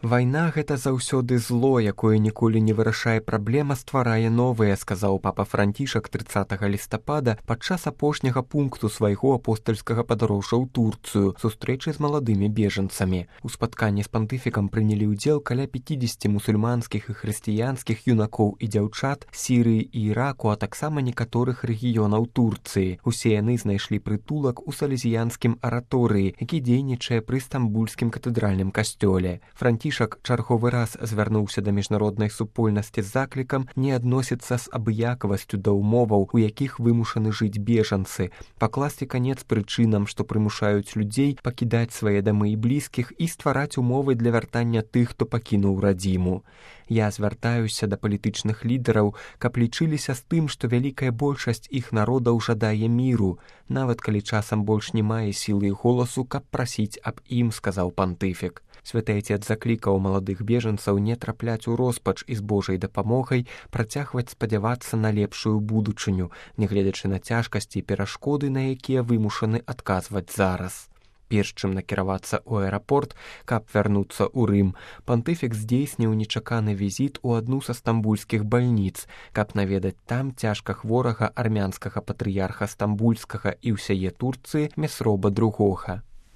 Вайна — гэта заўсёды зло, якое ніколі не вырашае праблем, а стварае новыя, сказаў папа Францішак 30 лістапада падчас апошняга пункту свайго апостальскага падарожжа ў Турцыю, сустрэчы з маладымі бежанцамі. У спатканні з пантыфікам прынялі ўдзел каля 50 мусульманскіх і хрысціянскіх юнакоў і дзяўчат Сірыі і Іраку, а таксама некаторых рэгіёнаў Турцыі. Усе яны знайшлі прытулак у салезіянскім араторыі, які дзейнічае пры стамбульскім катэдральным касцёле. Францішак чарговы раз звярнуўся да міжнароднай супольнасці з заклікам не адносіцца з абыякавасцю да ўмоваў, у якіх вымушаны жыць бежанцы, пакласці канец прычынам, што прымушаюць людзей пакідаць свае дамы і блізкіх і ствараць умовы для вяртання тых, хто пакінуў радзіму. Я звяртаюся да палітычных лідараў, каб лічыліся з тым, што вялікая большасць іх народаў жадае міру, нават калі часам больш не мае сілы і голасу, каб прасіць аб ім, сказаў пантыфік. Святы Айцец заклікаў маладых бежанцаў не трапляць у роспач і з Божай дапамогай працягваць спадзявацца на лепшую будучыню, нягледзячы на цяжкасці і перашкоды, на якія вымушаны адказваць зараз. Перш чым накіравацца ў аэрапорт, каб вярнуцца ў Рым, пантыфік здзейсніў нечаканы візіт у адну са стамбульскіх бальніц, каб наведаць там цяжка хворага армянскага патрыярха стамбульскага і ўсяе Турцыі Месроба II.